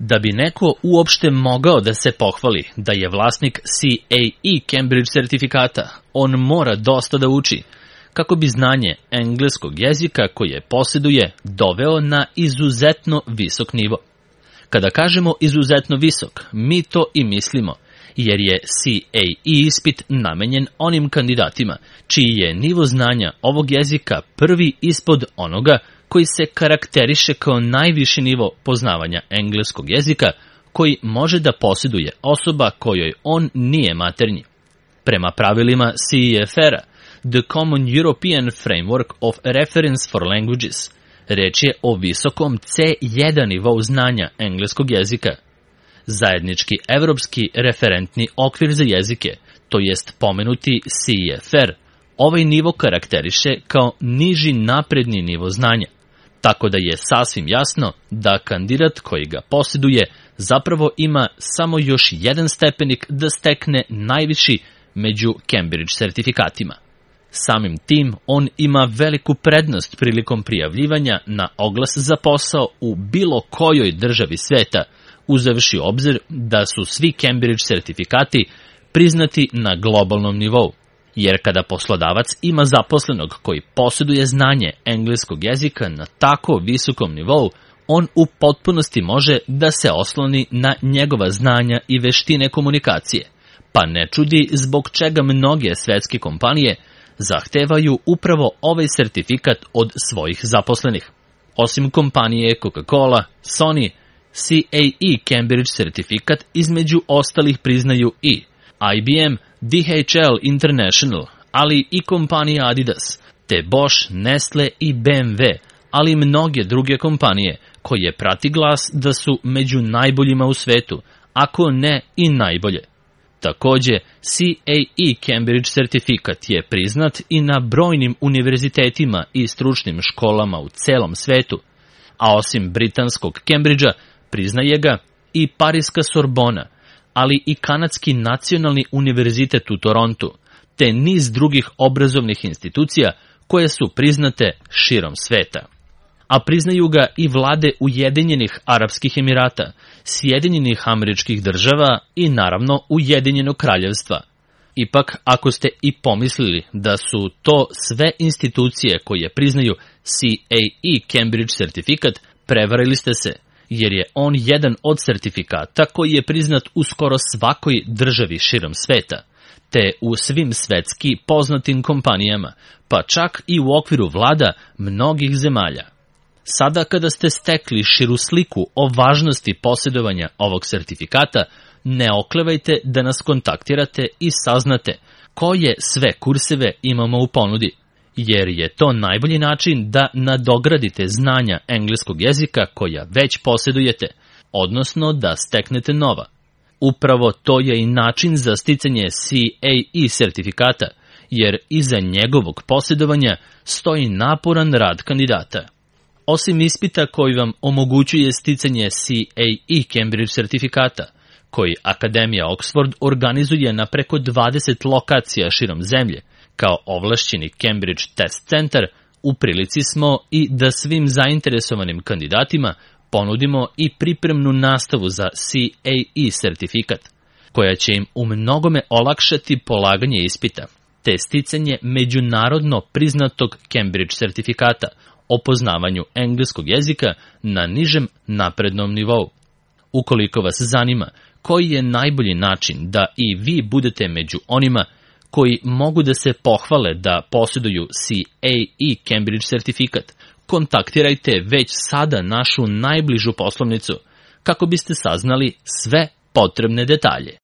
Da bi neko uopšte mogao da se pohvali da je vlasnik CAE Cambridge sertifikata, on mora dosta da uči, kako bi znanje engleskog jezika koje posjeduje doveo na izuzetno visok nivo. Kada kažemo izuzetno visok, mi to i mislimo, jer je CAE ispit namenjen onim kandidatima čiji je nivo znanja ovog jezika prvi ispod onoga koji se karakteriše kao najviši nivo poznavanja engleskog jezika koji može da posjeduje osoba kojoj on nije maternji. Prema pravilima CEFR-a, The Common European Framework of Reference for Languages, reč je o visokom C1 nivou znanja engleskog jezika. Zajednički evropski referentni okvir za jezike, to jest pomenuti CEFR, ovaj nivo karakteriše kao niži napredni nivo znanja, tako da je sasvim jasno da kandidat koji ga posjeduje zapravo ima samo još jedan stepenik da stekne najviši među Cambridge sertifikatima. Samim tim, on ima veliku prednost prilikom prijavljivanja na oglas za posao u bilo kojoj državi sveta, uzevši obzir da su svi Cambridge sertifikati priznati na globalnom nivou. Jer kada poslodavac ima zaposlenog koji posjeduje znanje engleskog jezika na tako visokom nivou, on u potpunosti može da se osloni na njegova znanja i veštine komunikacije, pa ne čudi zbog čega mnoge svetske kompanije zahtevaju upravo ovaj sertifikat od svojih zaposlenih. Osim kompanije Coca-Cola, Sony, CAE Cambridge sertifikat između ostalih priznaju i IBM, DHL International, ali i kompanija Adidas, te Bosch, Nestle i BMW, ali i mnoge druge kompanije koje prati glas da su među najboljima u svetu, ako ne i najbolje. Takođe, CAE Cambridge sertifikat je priznat i na brojnim univerzitetima i stručnim školama u celom svetu, a osim britanskog Cambridgea priznaje ga i Pariska Sorbona, ali i Kanadski nacionalni univerzitet u Torontu, te niz drugih obrazovnih institucija koje su priznate širom sveta. A priznaju ga i vlade Ujedinjenih Arapskih Emirata, Sjedinjenih Američkih Država i naravno Ujedinjenog Kraljevstva. Ipak, ako ste i pomislili da su to sve institucije koje priznaju CAE Cambridge sertifikat, prevarili ste se, jer je on jedan od sertifikata koji je priznat u skoro svakoj državi širom sveta, te u svim svetski poznatim kompanijama, pa čak i u okviru vlada mnogih zemalja. Sada kada ste stekli širu sliku o važnosti posjedovanja ovog sertifikata, ne oklevajte da nas kontaktirate i saznate koje sve kurseve imamo u ponudi, jer je to najbolji način da nadogradite znanja engleskog jezika koja već posjedujete, odnosno da steknete nova. Upravo to je i način za sticanje CAE sertifikata, jer iza njegovog posjedovanja stoji naporan rad kandidata. Osim ispita koji vam omogućuje sticanje CAE Cambridge sertifikata, koji Akademija Oxford organizuje na preko 20 lokacija širom zemlje, kao ovlašćeni Cambridge Test Center, u prilici smo i da svim zainteresovanim kandidatima ponudimo i pripremnu nastavu za CAE sertifikat, koja će im u mnogome olakšati polaganje ispita, te sticanje međunarodno priznatog Cambridge sertifikata o poznavanju engleskog jezika na nižem naprednom nivou. Ukoliko vas zanima koji je najbolji način da i vi budete među onima koji mogu da se pohvale da posjeduju CAE Cambridge sertifikat, kontaktirajte već sada našu najbližu poslovnicu kako biste saznali sve potrebne detalje.